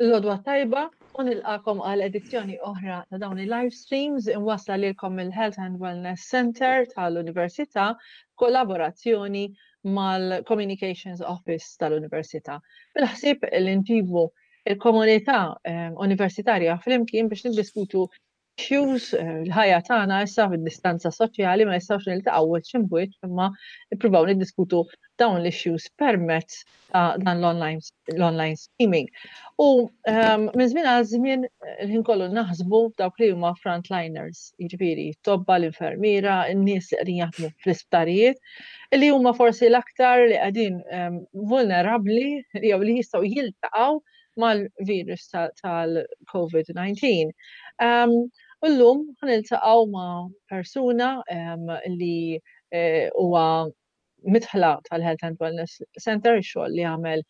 L-għodwa t-tajba u nilqakom għal edizzjoni oħra ta' dawn il-live streams imwassla lilkom mill-Health and Wellness Center tal-Università kollaborazzjoni mal-Communications Office tal-Università. Bil-ħsieb li nġibu il-komunità eh, universitarja flimkien biex niddiskutu issues, eh, l-ħajja tagħna issa fid-distanza soċjali ma nistgħux niltaqgħu wiċċ imbwiċċ imma nippruvaw niddiskutu dawn l-issues permezz ta' dan l-online streaming. U ehm, minn żmien għal żmien eh, l-ħin kollu naħsbu dawk li huma frontliners, jiġifieri tobba l-infermiera, n-nies li qegħdin jaħdmu fl-isptarijiet, li huma forsi l-aktar li qegħdin ehm, vulnerabbli jew li jistgħu jiltaqgħu mal-virus tal-COVID-19. Um, u llum ħaniltaqgħu ma' persuna um, li eh, huwa mitħla tal-Health and Wellness Center, xogħol li għamel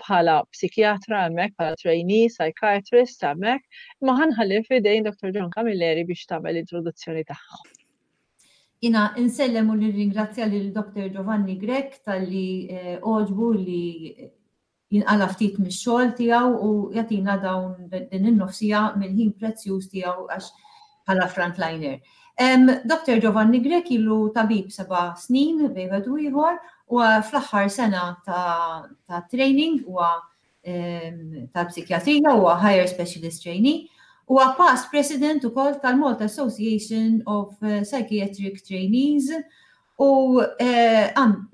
bħala psikjatra hemmhekk, bħala trainee, psychiatrist hemmhekk, imma ħanħalli f'idejn Dr. John Camilleri biex tagħmel introduzzjoni tagħha. Jina insellem u nirringrazzja lil Dr. Giovanni Grech talli eh, għoġbu li jinqala' ftit mix-xogħol tiegħu u jagħtina dawn din in-nofsija mill-ħin prezzjuż tiegħu għax bħala frontliner. Dr. Giovanni Grech ilu tabib seba' snin bejn wieħed u ieħor u fl-aħħar sena ta', ta training huwa tal-psikjatrija huwa Higher Specialist Trainee huwa past president ukoll tal-Malta Association of Psychiatric Trainees U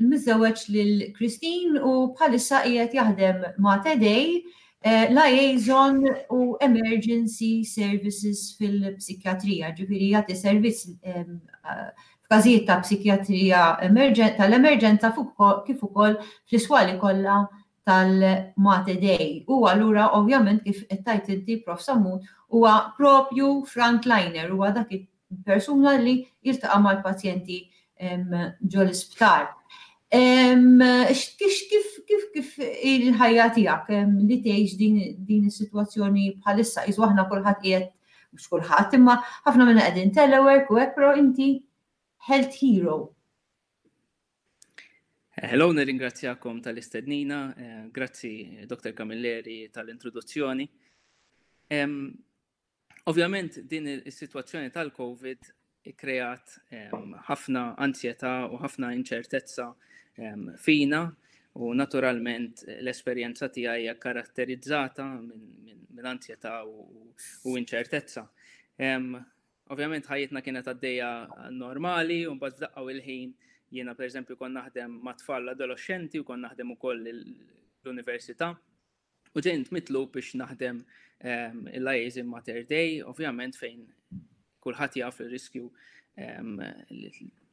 miżżewweġ lil Christine u bħalissa qiegħed jaħdem ma' Tedej liaison u emergency services fil-psikjatrija, ġifieri jagħti servizz f'każijiet ta' psikjatrija tal-emerġenza kif ukoll fl-iswali kollha tal-Mater Dei. U allura ovvjament kif qed tgħid inti Prof Sammut huwa propju frontliner, huwa dak persuna li jiltaqa' mal-pazjenti ġo l-isptar. Kif kif kif kif il-ħajja tiegħek li tgħix din is-sitwazzjoni bħalissa qisu aħna kulħadd qiegħed mhux kulħadd imma ħafna minna qegħdin telework u hekk però inti health hero. Hello, nirringrazzjakom tal-istednina, eh, grazzi Dr. Camilleri tal-introduzzjoni. Ovvjament din is-sitwazzjoni tal-COVID ikkreat ħafna ansjetà u ħafna inċertezza fina u naturalment l-esperjenza tiegħi hija karatterizzata minn ansjetà u inċertezza. Ovvjament ħajjitna kienet għaddejja normali u mbagħad f'daqqa u l-ħin jiena pereżempju kont naħdem ma' tfal adolescenti u kont naħdem ukoll l-università. U ġejt mitlub biex naħdem ehm, il-liaison Mater Dei, ovvjament fejn kulħadd jaf il-riskju ehm,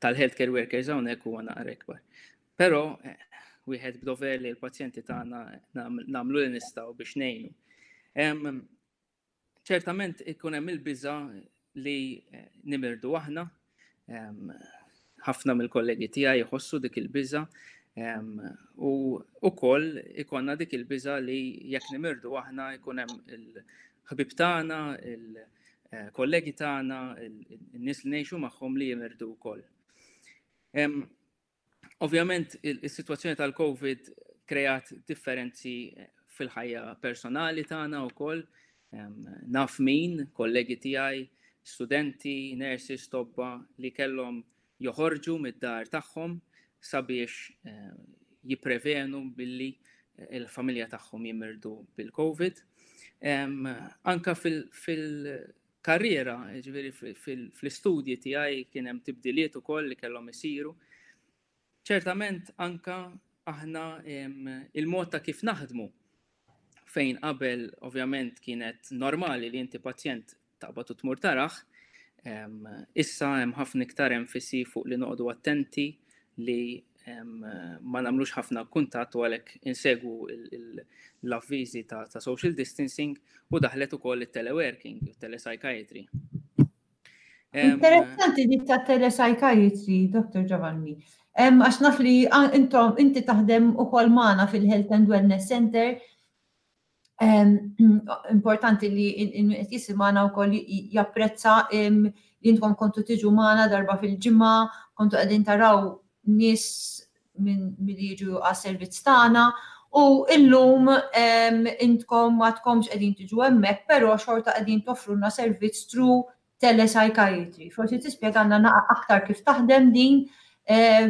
tal-healthcare workers hawnhekk huwa naqra ikbar. Però eh, wieħed b'dover li l-pazjenti tagħna nagħmlu li nistgħu biex ngħinu. Ehm, Ċertament ikun hemm il-biża' li eh, nimirdu aħna. Ħafna mill-kollegi tiegħi jħossu dik il-biża' u wkoll ikonna dik il-biża' li jekk nimirdu aħna jkun hemm il-ħbib tagħna, il-kollegi tagħna, in-nies li ngħixu magħhom li jimirdu wkoll. Ovvjament, is-sitwazzjoni tal-COVID kreat differenzi fil-ħajja personali tagħna wkoll. Naf min, kollegi tiegħi, studenti, nurses, tobba li kellhom joħorġu mid-dar tagħhom sabiex jipprevenu billi il-familja tagħhom jimirdu bil-COVID. Anka fil-karriera, ġifieri fl-istudji tiegħi kien hemm tibdiliet ukoll li kellhom isiru. Ċertament anka aħna il-mod ta' kif naħdmu fejn qabel ovvjament kienet normali li inti pazjent taqbad u tmur tarah, issa hemm ħafna iktar enfisi fuq li noqogħdu attenti li ma nagħmlux ħafna kuntatt u għalhekk insegwu l-avviżi ta' social distancing u daħlet ukoll it-teleworking, it-telepsychiatry. Interessanti dik ta' telepsychiatry, Dr. Giovanni. Għax naf li intom inti taħdem ukoll magħna fil-Health and Wellness Center Importanti li qed jisimgħana wkoll japprezza li intkom kontu tiġu magħna darba fil-ġimgħa, kontu qegħdin taraw nies minn milli jiġu għas-servizz tagħna. U illum intkom m'għadkomx qegħdin tiġu hemmhekk, però xorta qegħdin toffrulna servizz through telepsychiatry. Forsi tispjegalna naqa aktar kif taħdem din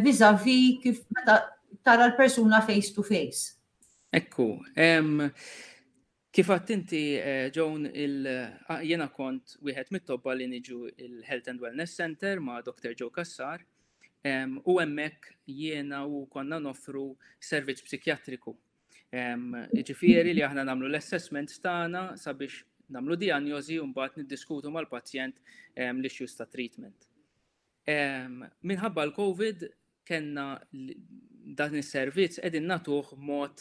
vis-a-vis kif meta tara l-persuna face to face. Ekku, kif għedt inti, Joan, jiena kont wieħed mit-tobba li niġu il-Health and Wellness Center ma' Dr. Joe Cassar, u hemmhekk jiena u konna noffru servizz psikjatriku. Ġifieri li aħna nagħmlu l-assessments tagħna sabiex nagħmlu diagnosi u mbagħad niddiskutu mal-pazjent l-issues ta' treatment. Minħabba l-COVID kellna dan is-servizz qegħdin nagħtuh mod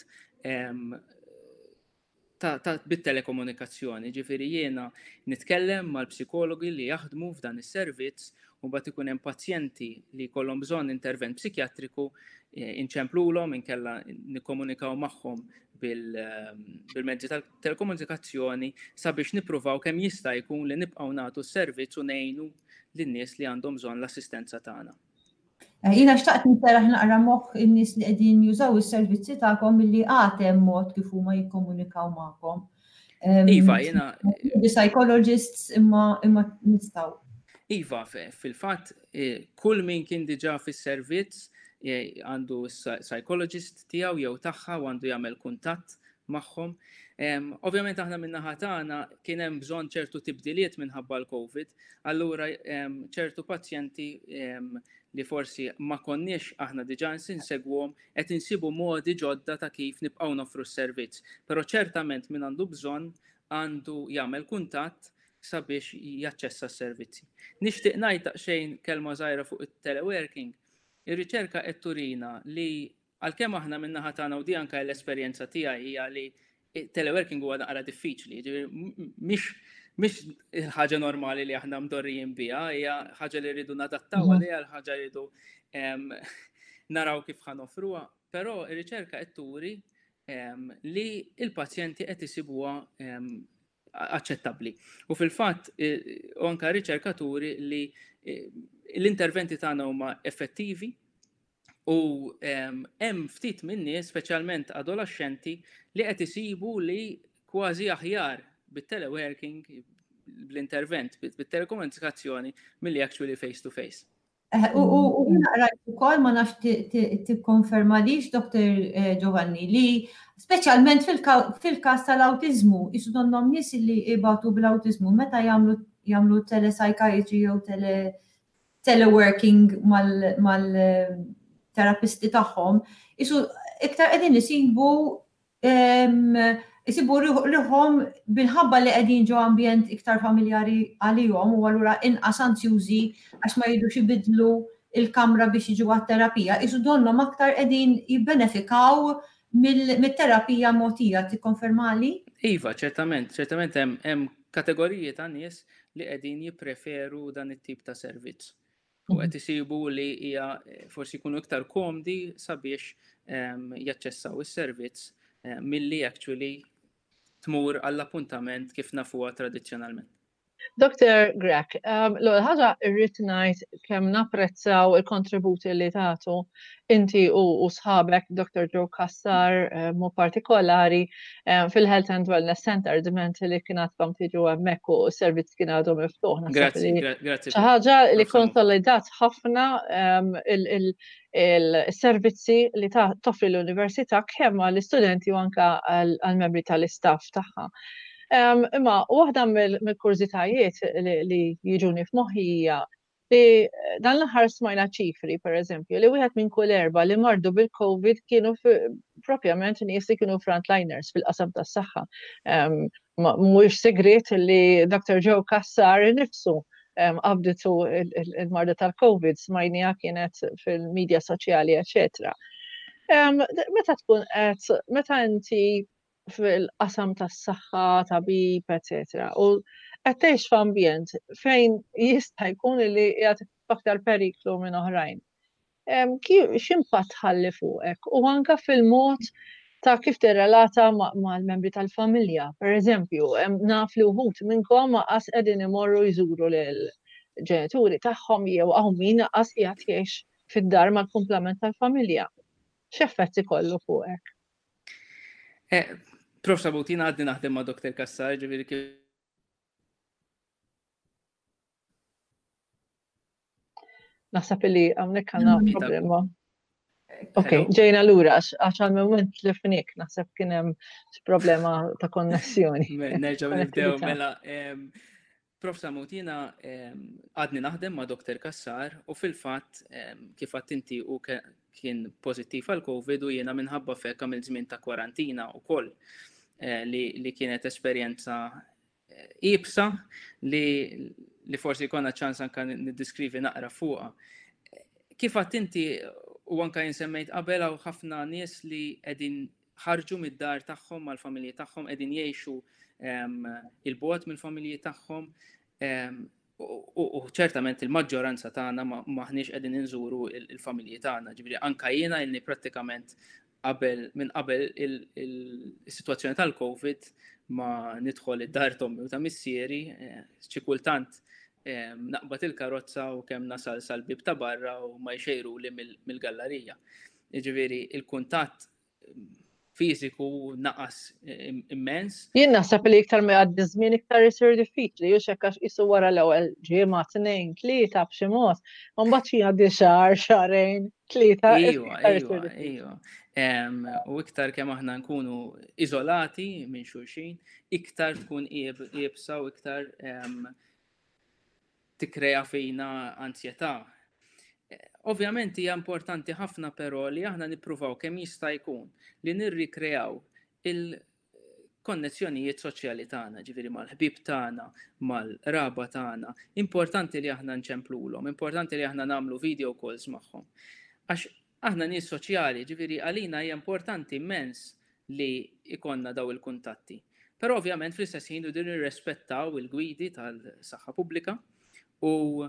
ta' bit-telekomunikazzjoni, ġifieri jiena nitkellem mal-psikologi li jaħdmu f'dan is-servizz u mbagħad ikun hemm pazjenti li jkollhom bżonn intervent psikjatriku, inċemplulhom inkella nikkomunikaw magħhom bil-mezzi tal-telekomunikazzjoni sabiex nippruvaw kemm jista' jkun li nibqgħu nagħtu s-servizz u ngħinu lin-nies li għandhom bżonn l-assistenza tagħna. Jiena xtaqt nserraħ naqra moħħ in-nies li qegħdin jużaw is-servizzi tagħkom milli għad hemm mod kif huma jikkomunikaw magħkom. Iva, jiena. Psychologists imma imma nistgħu. Iva, fil-fatt, kull min kien diġà fis-servizz għandu psychologist tiegħu jew tagħha u għandu jagħmel kuntatt magħhom. Ovvjament aħna min-naħa tagħna kien hemm bżonn ċertu tibdiliet minħabba l-COVID, allura ċertu pazjenti li forsi ma konniex aħna diġà insegwhom qed insibu modi ġodda ta' kif nibqgħu noffru s-servizz. Però ċertament min għandu bżonn għandu jagħmel kuntatt sabiex jaċċessa s-servizzi. Nixtieq ngħid daqsxejn kelma żgħira fuq it-teleworking. Ir-riċerka qed turina li għalkemm aħna min-naħa tagħna u di anke l-esperjenza tiegħi hija li teleworking huwa naqra diffiċli, mhix mhix il-ħaġa normali li aħna mdorrijin biha, hija ħaġa li rridu nadattaw għaliha, l-ħaġa li rridu naraw kif ħa noffruha, però ir-riċerka qed turi li il-pazjenti qed isibuha aċċettabbli. U fil-fatt, u anka riċerkaturi li l-interventi tagħna huma effettivi u hemm ftit minn nies, speċjalment adolescenti, li qed isibu li kważi aħjar bit-teleworking, bl-intervent, bit-telekomunikazzjoni milli actually face to face. U jiena rajt ukoll, ma nafx tikkonfermalix, Dr. Giovanni, li speċjalment fil-każ tal-awtiżmu, jisu donnom nies li ibatu bl-awtiżmu meta jagħmlu telepsychiatry jew teleworking mal-terapisti tagħhom, jisu iktar qegħdin isibu ruħhom bil-ħabba li qegħdin ġo ambjent iktar familjari għalihom u allura inqas anzjużi għax ma jridux ibidlu il-kamra biex jiġu għat-terapija. Isu donnom aktar qegħdin jibbenefikaw mit-terapija mogħtija, tikkonfermali? Iva, ċertament, ċertament hemm kategoriji ta' nies li qegħdin jippreferu dan it-tip ta' servizz. U qed isibu li hija forsi jkunu iktar komdi sabiex jaċċessaw is-servizz milli actually tmur għall-appuntament kif nafuha tradizzjonalment. Dr. Grech, l-ewwel ħaġa irrid ngħid kemm napprezzaw il-kontributi li tagħtu inti u sħabek Dr. Joe Cassar mod partikolari fil-Health and Wellness Center diment li kien għadkom tiġu hemmhekk u s-servizz kien għadu miftuħ. Grazzi, grazzi. Xi ħaġa li konsolidat ħafna il-servizzi li toffri l-università kemm għall-istudenti u anka għall-membri tal-istaff tagħha. Imma waħda mill-kurżitajiet li jiġuni f'moħħi hija li dan l-aħħar smajna ċifri, per eżempju, li wieħed minn kull erba li mardu bil-COVID kienu propjament nies li kienu frontliners fil-qasam tas-saħħa. Mhuwiex segret li Dr. Joe Cassar nifsu qabditu il-marda tal-COVID, smajnija kienet fil-medja soċjali, eccetera. Meta tkun qed, meta inti fil-qasam tas-saħħa, tabib, eccetera, u qed tgħix f'ambjent fejn jista' jkun li qiegħed f'aktar periklu minn oħrajn. X'impatt ħalli fuqek u anka fil-mod ta' kif tirrelata mal-membri tal-familja. Per eżempju, naf li wħud minnkom qas qegħdin imorru jżuru lil ġenituri tagħhom jew hawn min qas qiegħed jgħix fid-dar mal-kumplament tal-familja. X'effett ikollu fuqek? Eh, Prof. Sabutina għadni naħdem ma' Dr. Kassar, ġifieri kif Naħseb li hawnhekk għandna problema. Ok, ġejna lura għax għal moment li fnik, naħseb kien hemm problema ta' konnessjoni. Nerġgħu nibdew mela. Prof. Samut, jiena għadni naħdem ma' Dr. Kassar u fil-fatt kif għadt inti u kien pożittiv għal COVID u jiena minħabba fek għamilt żmien ta' kwarantina wkoll eh, li kienet esperjenza eh, ibsa li li forsi jkollna ċans anka niddiskrivi naqra fuqha. Kif għadt inti u anka jinsemmejt qabel hawn ħafna nies li qegħdin ħarġu mid-dar tagħhom mal-familji tagħhom qegħdin jgħixu il-bogħod mill-familji tagħhom u ċertament il-maġġoranza tagħna maħniex qegħdin inżuru il-familji tagħna. Ġifieri anka jiena ilni prattikament qabel minn qabel il-sitwazzjoni tal-COVID ma nidħol id-dar tommi u ta' missieri, eh, xi kultant naqbad il-karozza u kemm nasal sal-bib ta' barra u ma jxejru li mill-gallerija. Jiġifieri il-kuntatt fiżiku naqas immens. Jien naħseb li iktar ma jgħaddi żmien iktar isir diffiċli, hux hekk għax qisu wara l-ewwel ġimgħa, tnejn, tlieta b'xi mod, u mbagħad xi jgħaddi xahar, xahrejn, tlieta. Iva, iva, iva. U iktar kemm aħna nkunu iżolati minn xulxin, iktar tkun iebsa u iktar tikkrea fina anzjetà. Ovvjament hija importanti ħafna però li aħna nippruvaw kemm jista' jkun li nirrikreaw il-konnezzjonijiet soċjali tagħna, ġifieri mal-ħbieb tagħna, mal-qraba tagħna. Importanti li aħna nċemplulhom, importanti li aħna nagħmlu video calls magħhom. Għax aħna nies soċjali, ġifieri għalina hija importanti immens li jkollna daw il-kuntatti. Però ovvjament fl-istess ħin irridu nirrespettaw il-gwidi tal-saħħa pubblika u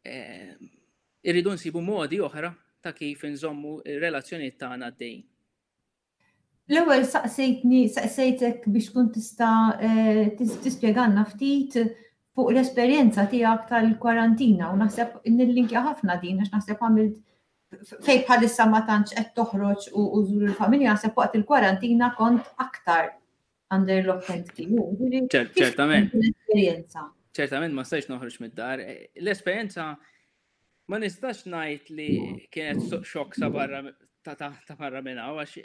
eh, irridu nsibu modi oħra ta' kif inżommu ir-relazzjonijiet tagħna għaddejjin. L-ewwel saqsejtni, saqsejtek biex tkun tista' eh, tispjegalna ftit fuq l-esperjenza tiegħek tal-kwarantina u naħseb nillinkja ħafna din għax naħseb għamilt fej bħalissa ma tantx qed toħroġ u żur il-familja naħseb waqt il-kwarantina kont aktar under lock and key. Ċertament. L-esperjenza. Ċertament ma stajx noħroġ mid-dar. L-esperjenza ma nistax ngħid li kienet xokk sa barra ta' barra minn hawn għax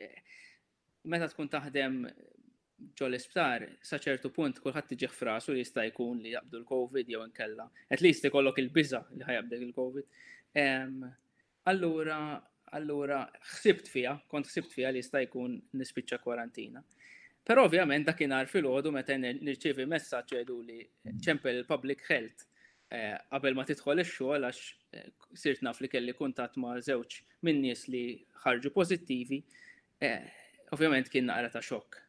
meta tkun taħdem ġo l-isptar, sa ċertu punt kulħadd tiġih frasu li jista' jkun li jaqbdu l-COVID jew inkella. At least ikollok il-biża li ħajabdek il-COVID. Allura, allura ħsibt fiha, kont ħsibt fiha li jista' jkun nispiċċa kwarantina. Però ovvjament dakinhar filgħodu meta nirċievi messaġġ jgħidu li ċempel il-public health eh, qabel ma tidħol ix-xogħol għax eh, sirt naf li kelli kuntatt ma' żewġ minn nies li ħarġu pożittivi, eh, ovvjament kien naqra ta' xokk.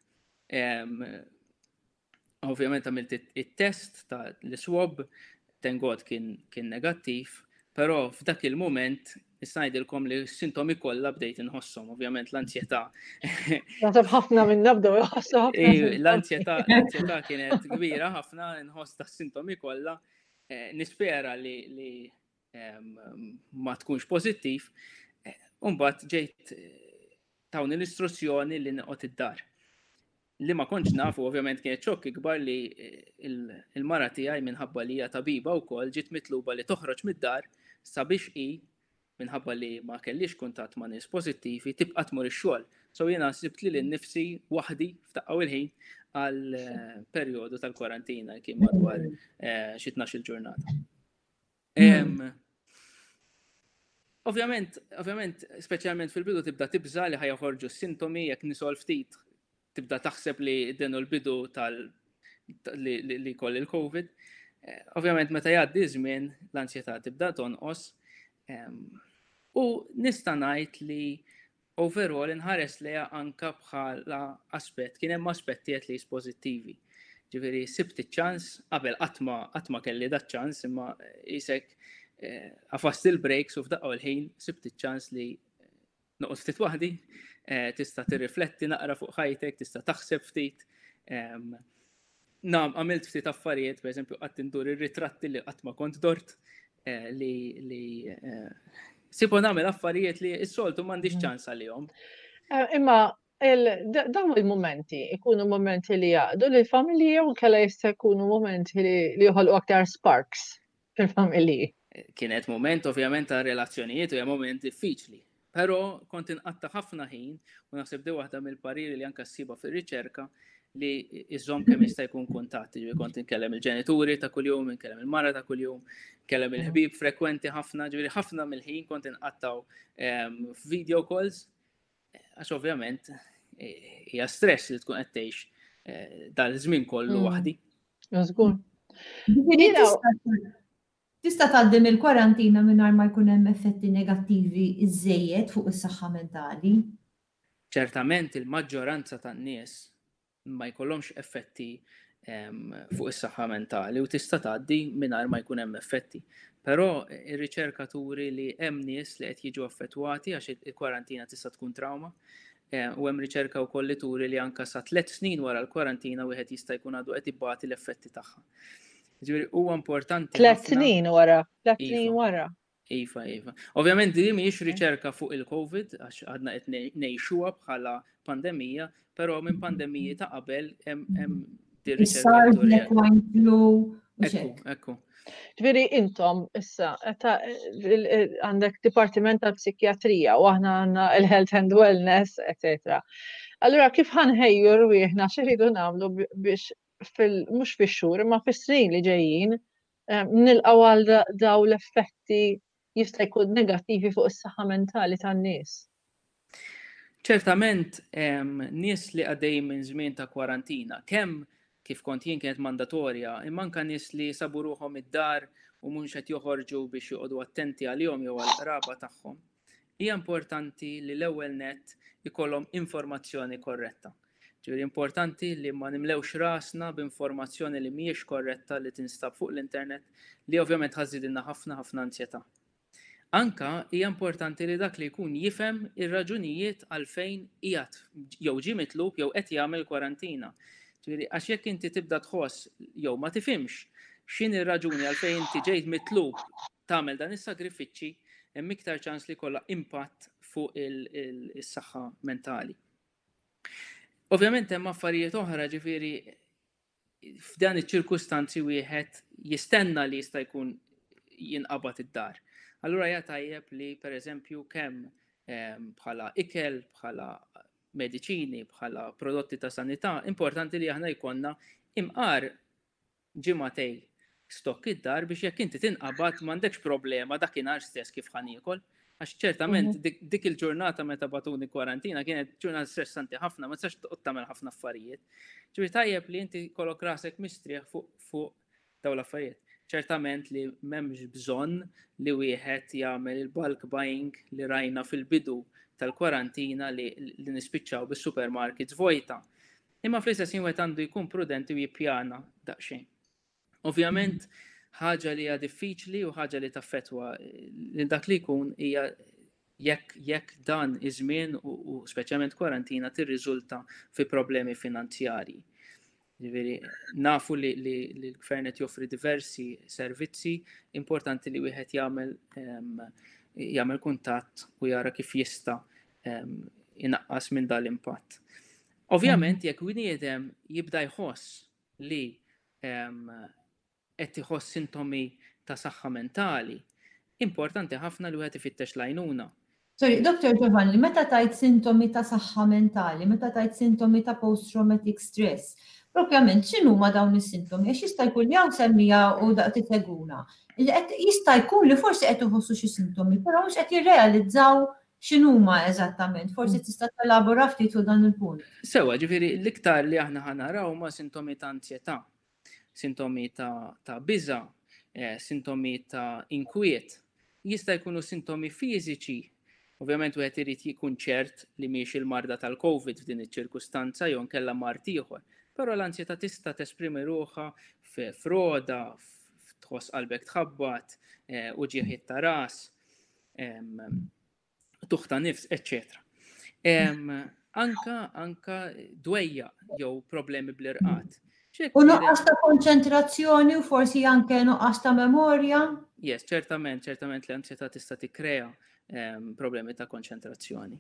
Ovvjament għamilt it-test ta' l-swab, thank God kien, kien negattiv, però f'dak il-moment nista' ngħidilkom li s-sintomi kollha bdejt inħosshom, ovvjament l-anzjetà. Naħseb ħafna minn nabdew iħossu ħafna. L-anzjetà l-anzjetà kienet kbira ħafna nħoss ta' sintomi kollha. Eh, nispera li, li ma tkunx pożittiv. Eh, Umbagħad ġejt eh, tawni l-istruzzjoni li noqgħod id-dar. Li ma kontx nafu, ovvjament kienet xokk ikbar li eh, il-mara tiegħi minħabba li hija tabiba wkoll ġiet mitluba li toħroġ mid-dar sabiex hi minħabba li ma kellix kuntatt ma' nies pożittivi tibqa' tmur ix-xogħol. So jiena sibt li nnifsi waħdi f'daqqa il-ħin għal perjodu tal-kwarantina kien madwar xi 12 il-ġurnata. Hmm. Ovvjament, ovvjament, speċjalment fil-bidu tibda tibża li ħajħorġu s-sintomi jekk nisol ftit tibda taħseb li din l-bidu tal li koll il-COVID. Eh, ovvjament meta jgħaddi żmien l-ansjetà tibda tonqos. U nista' ngħid li overall inħares lejha anka bħala aspett, kien hemm aspetti at least pożittivi. Ġifieri sibt iċ-ċans, qabel qatt ma qatt ma kelli dat ċans imma isek eh, għafast il-breaks u f'daqqa l-ħin sibt iċ-ċans li noqgħod ftit waħdi, eh, tista' tirrifletti naqra fuq ħajtek, tista' taħseb ftit. Nam, għamilt ftit affarijiet, per eżempju, qatt indur ir-ritratti li qatt ma kont dort, eh, li li eh, sibu nagħmel affarijiet li s-soltu m'għandix mm. ċans għalihom. Eh, imma Dawn il-mumenti ikunu mumenti li jaqdu li l-familji jew kella jista' jkunu mumenti li joħolqu aktar sparks fil-familji. Kienet moment ovvjament ta' relazzjonijiet u hija moment diffiċli. Però kont inqatta' ħafna ħin u naħseb di waħda mill-pariri li anka ssiba fir-riċerka li iżomm kemm jista' jkun kuntatt, ġifieri kont inkellem il-ġenituri ta' kuljum, inkellem il-mara ta' kuljum, inkellem il-ħbieb frekwenti ħafna, ġifieri ħafna mill-ħin kont inqattaw ehm, f'video calls Għax ovvjament eh, hija stress li tkun qed tgħix eh, dal-żmien kollu mm. waħdi. Żgur. Tista' tgħaddi mill-kwarantina mingħajr ma jkun hemm effetti negattivi iżejjed fuq is-saħħa mentali. Ċertament il-maġġoranza tan-nies ma jkollhomx effetti fuq is-saħħa mentali u tista' tgħaddi mingħajr ma jkun hemm effetti. Però ir-riċerka turi li hemm nies li qed jiġu affettwati għax il-kwarantina tista' tkun trauma. U hemm riċerka wkoll li turi li anka sa tliet snin wara l-kwarantina wieħed jista' jkun għadu qed ibati l-effetti tagħha. Ġifieri huwa importanti. Tliet snin wara, tliet snin iva. wara. Iva, iva. Ovvjament din mhijiex riċerka fuq il-COVID, għax għadna qed ngħixuha bħala pandemija, però minn pandemiji ta' qabel hemm din riċerka. Black wine flu. Ekku, ekku. Ġifieri intom issa għandek dipartiment tal-psikjatrija u aħna għandna il-health and wellness, etc. Allura kif ħanħejju rwieħna x'iridu nagħmlu biex fil mhux fix-xhur imma fis-snin li ġejjin nilqgħu għal daw l-effetti jista' jkun negattivi fuq is-saħħa mentali tan-nies. Ċertament nies li għaddejjin minn żmien ta' kwarantina, kemm kif kont jien kienet mandatorja, imma anka nies li sabu ruħhom id-dar u mhux qed joħorġu biex joqogħdu attenti għalihom jew għall-qraba tagħhom. Hija importanti li l-ewwel nett ikollhom informazzjoni korretta. Ġifieri importanti li ma nimlewx rasna b'informazzjoni li mhijiex korretta li tinstab fuq l-internet li ovvjament ħa żżidilna ħafna ħafna ansjetà. Anka hija importanti li dak li jkun jifhem ir-raġunijiet għalfejn qiegħed jew ġie mitlub jew qed jagħmel kwarantina. Ġifieri għax jekk inti tibda tħoss jew ma tifhimx x'inhi r-raġuni għalfejn inti ġejt mitlub tagħmel dan is-sagrifiċċji, hemm iktar ċans li jkollha impatt fuq is-saħħa mentali. Ovvjament hemm affarijiet oħra ġifieri f'dan iċ-ċirkustanzi wieħed jistenna li jista' jkun jinqabad id-dar. Allura hija tajjeb li pereżempju kemm ehm, bħala ikel, bħala mediċini, bħala prodotti ta' sanità, importanti li aħna jkollna imqar ġimagħtej stokk id-dar biex jekk inti tinqabad m'għandekx problema dakinhar stess kif ħa niekol. Għax ċertament mhm. dik il-ġurnata meta batuni kwarantina kienet ġurnata stressanti ħafna, ma tistax toqgħod tagħmel ħafna affarijiet. Ġifieri tajjeb li inti kollok rasek mistrieħ fuq fuq dawn l-affarijiet. Ċertament li m'hemmx bżonn li wieħed jagħmel il-bulk buying li rajna fil-bidu tal-kwarantina li, li nispiċċaw bis-supermarkets vojta. Imma fl-istess ħin wieħed għandu jkun prudenti u jippjana daqsxejn. Ovvjament, ħaġa li hija diffiċli u ħaġa li taffetwa lil dak li jkun hija jekk jekk dan iż-żmien u, u speċjalment kwarantina tirriżulta fi problemi finanzjarji. Ġifieri, nafu li, li, li l-gvern qed joffri diversi servizzi, importanti li wieħed jagħmel um, jagħmel kuntatt u jara kif jista' um, inaqqas minn dal-impatt. Ovvjament, jekk bniedem jibda jħoss li qed iħoss sintomi ta' saħħa mentali, importanti ħafna li wieħed ifittex l-għajnuna. Sorry, Dr. Giovanni, meta tajt sintomi ta' saħħa mentali, meta tajt sintomi ta' post-traumatic stress, propjament x'inhuma dawn is-sintomi? Għax jista' jkun li hawn semmija u daqt iseguna. Jista' jkun li forsi qed iħossu xi sintomi, però mhux qed jirrealizzaw X'inhuma eżattament? Forsi tista' telabora ftit fuq dan il-punt. Sewa, ġifieri l-iktar li aħna ħa naraw huma sintomi ta' ansjetà, sintomi ta', ta biża, eh, sintomi ta' inkwiet. Jista' jkunu sintomi fiżiċi. Ovvjament wieħed irid jkun ċert li mhix il-marda tal-COVID f'din iċ-ċirkustanza jew nkella mard ieħor. Però l-ansjetà tista' tesprimi ruħha f'roda, tħoss qalbek tħabbat, eh, uġigħ ta' ras, tuħ ta' nifs, eccetera. Anka, anka dwejja jew problemi bl-irqat. U nuqqas ta' konċentrazzjoni u forsi anke nuqqas ta' memorja? Yes, ċertament, ċertament l-ansjetà tista' tikkrea problemi ta' konċentrazzjoni.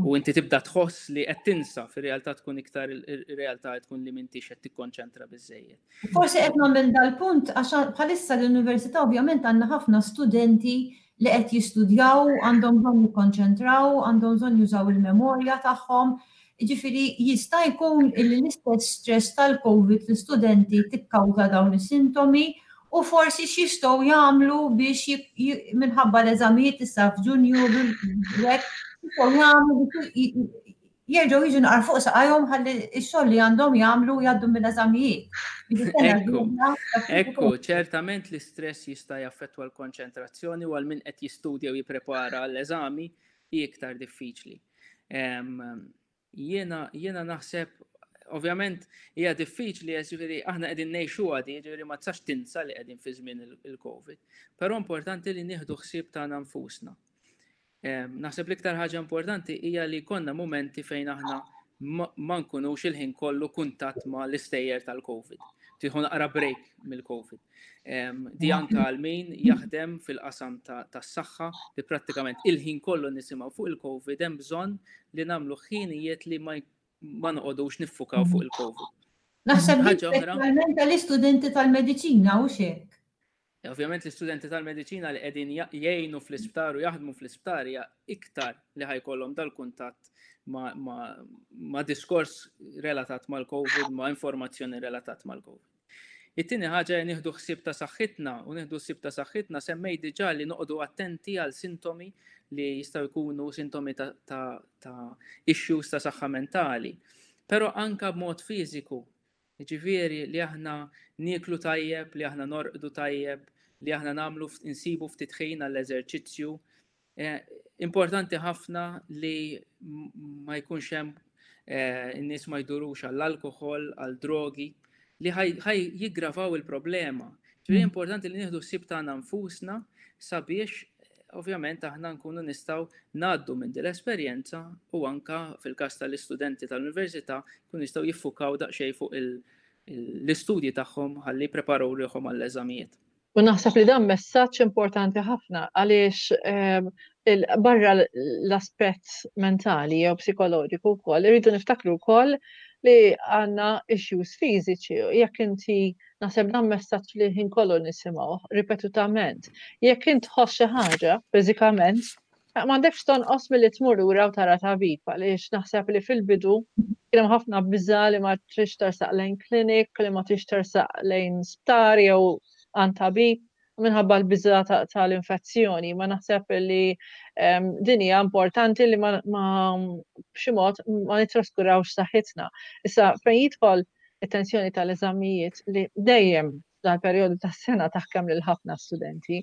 U inti tibda tħoss li qed tinsa fir-realtà tkun iktar ir-realtà tkun li m'intix qed tikkonċentra biżejjed. Forsi qed nagħmel dal-punt għax bħalissa l-università ovvjament għandna ħafna studenti li qed jistudjaw, għandhom bżonn jikkonċentraw, għandhom bżonn jużaw il-memorja tagħhom. Jiġifieri jista' jkun illi l-istess stress tal-COVID l-istudenti tikkawża dawn is-sintomi u forsi x'jistgħu jagħmlu biex minħabba l-eżamijiet issa f'Ġunju hekk jistgħu jagħmlu biex jerġgħu jiġu naqra fuq saqajhom ħalli x-xogħol li għandhom jagħmlu jgħaddu mill-eżamijiet. Ekku, ekku, ċertament l-istress jista' jaffettwa l-konċentrazzjoni u għal min qed jistudja u jipprepara għall-eżami hi iktar diffiċli. Jiena jiena naħseb ovvjament hija diffiċli ġifieri aħna qegħdin ngħixuha di, ġifieri ma tistax tinsa li qegħdin fi żmien il-COVID. Però importanti li nieħdu ħsieb tagħna nfusna. Naħseb l-iktar ħaġa importanti hija li jkollna mumenti fejn aħna ma nkunux il-ħin kollu kuntatt ma l-istejjer tal-COVID. Tieħu naqra break mill-COVID. Di anka għal min jaħdem fil-qasam tas-saħħa li prattikament il-ħin kollu nisimgħu fuq il-COVID hemm bżonn li nagħmlu ħinijiet li ma noqogħdux niffukaw fuq il-COVID. Naħseb ħaġa oħra. Tal-istudenti tal-mediċina u xek. Ovvjament l-istudenti tal-mediċina li qegħdin jgħinu fl-isptar u jaħdmu fl-isptar hija iktar li ħajkollhom dal-kuntatt ma, ma, ma diskors relatat mal-COVID, ma informazzjoni relatat mal-COVID. It-tieni ħaġa li nieħdu ħsieb ta' saħħitna u nieħdu ħsieb ta' saħħitna semmej diġà li noqogħdu attenti għal sintomi li jistgħu jkunu sintomi ta', ta, ta issues ta' saħħa mentali. Però anka b'mod fiżiku Jiġifieri li aħna nieklu tajjeb, li aħna norqdu tajjeb, li aħna nagħmlu insibu ftit ħin għall-eżerċizzju. Eh, importanti ħafna li ma jkunx hemm eh, in-nies ma jdurux għall-alkoħol, għall-drogi, li ħaj jiggravaw il-problema. Ġifieri mm. importanti li nieħdu ssib tagħna nfusna sabiex ovvjament aħna nkunu nistgħu ngħaddu minn din l-esperjenza u anka fil-każ tal-istudenti tal-università jkunu jistgħu jiffukaw daqsxejn fuq l-istudji tagħhom ħalli jippreparaw ruħhom għall-eżamijiet. U naħseb li dan messaġġ importanti ħafna għaliex ehm, barra l-aspett mentali jew psikoloġiku wkoll, irridu niftakru wkoll li għandna issues fiżiċi. Jekk inti Naħseb dan messaġġ li ħin kollu nisimgħu ripetutament. Jekk int tħoss xi ħaġa fiżikament, m'għandekx tonqos milli tmur lura u tara tabib għaliex naħseb li fil-bidu kien hemm ħafna biża' li ma trix tersaq lejn klinik, li ma trix tersaq lejn sptar jew għand tabib minħabba l-biża tal-infezzjoni. Ma naħseb li ehm, din hija importanti li ma b'xi mod ma nitraskurawx saħħitna. Issa fejn jidħol it-tensjoni tal-eżamijiet li dejjem dal-perjodu tas-sena taħkem lil ħafna studenti.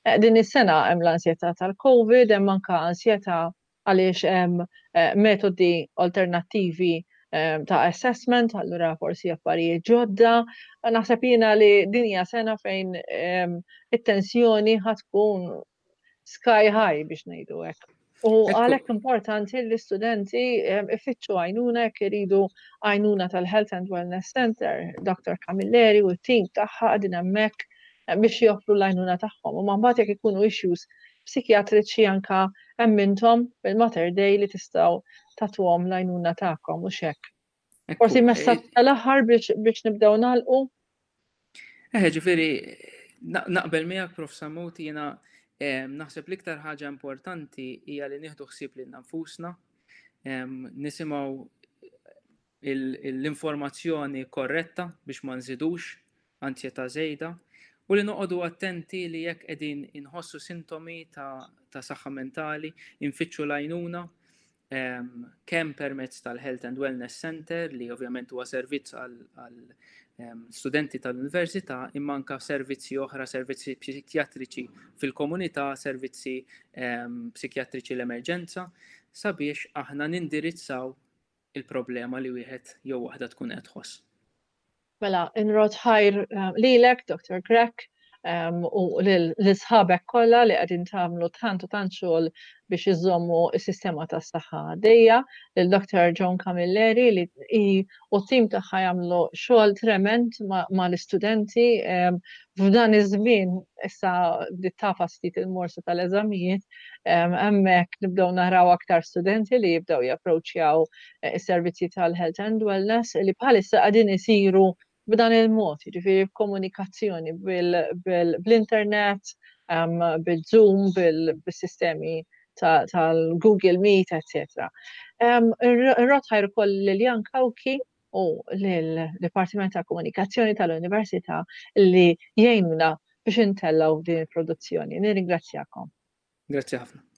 Eh, din is-sena hemm l-ansjetà tal-COVID, hemm anka ansjetà għaliex hemm eh, metodi alternattivi eh, ta' assessment, allura forsi affarijiet ġodda. Naħseb jiena li din hija sena fejn it-tensjoni ħatkun sky high biex ngħidu hekk. U għalhekk importanti li l-istudenti ifittxu għajnuna jekk iridu għajnuna tal-Health and Wellness Center, Dr. Camilleri u t-tim tagħha qegħdin hemmhekk biex joffru l-għajnuna tagħhom. U mbagħad jekk ikunu issues psikjatriċi anka hemm intom bil-Mater Dei li tistgħu tagħtuhom l-għajnuna tagħkom u xek. Forsi messaġġ eh, tal-aħħar biex nibdew nagħlqu. Eh, ġifieri naqbel miegħek Prof Samut jiena eh, naħseb l-iktar ħaġa importanti hija li nieħdu ħsieb lil nfusna, nisimgħu l-informazzjoni korretta biex ma nżidux ansjetà żejda u li noqogħdu attenti li jekk qegħdin inħossu sintomi ta', ta saħħa mentali, infittxu l-għajnuna kemm permezz tal-Health and Wellness Center li ovvjament huwa servizz għal studenti tal-università imma anka servizzi oħra, servizzi psikjatriċi fil-komunità, servizzi psikjatriċi l-emerġenza, sabiex aħna nindirizzaw il-problema li wieħed jew waħda tkun qed tħoss. Mela, inrod ħajr eh, lilek, Dr. Grech. u lil sħabek kollha li qegħdin tagħmlu tant u tant xogħol biex iżommu s-sistema tas-saħħa għaddejja, lil Dr. Joan Camilleri li hi u t-tim tagħha jagħmlu xogħol trement mal-istudenti f'dan iż-żmien issa bdiet tafas ftit il-morsa tal-eżamijiet, hemmhekk nibdew naraw aktar studenti li jibdew japproċċjaw is-servizzi tal-health and wellness li bħalissa qegħdin isiru b'dan il-mod, jiġifieri b'komunikazzjoni bl-internet, bil-Zoom, bil-sistemi tal-Google Meet, etc. Irrodd ħajr ukoll lil Jan Cauchi u lill-Dipartiment ta' Komunikazzjoni tal-Università li jgħinuna biex intellgħu din il-produzzjoni. Nirringrazzjakom. Grazzi ħafna.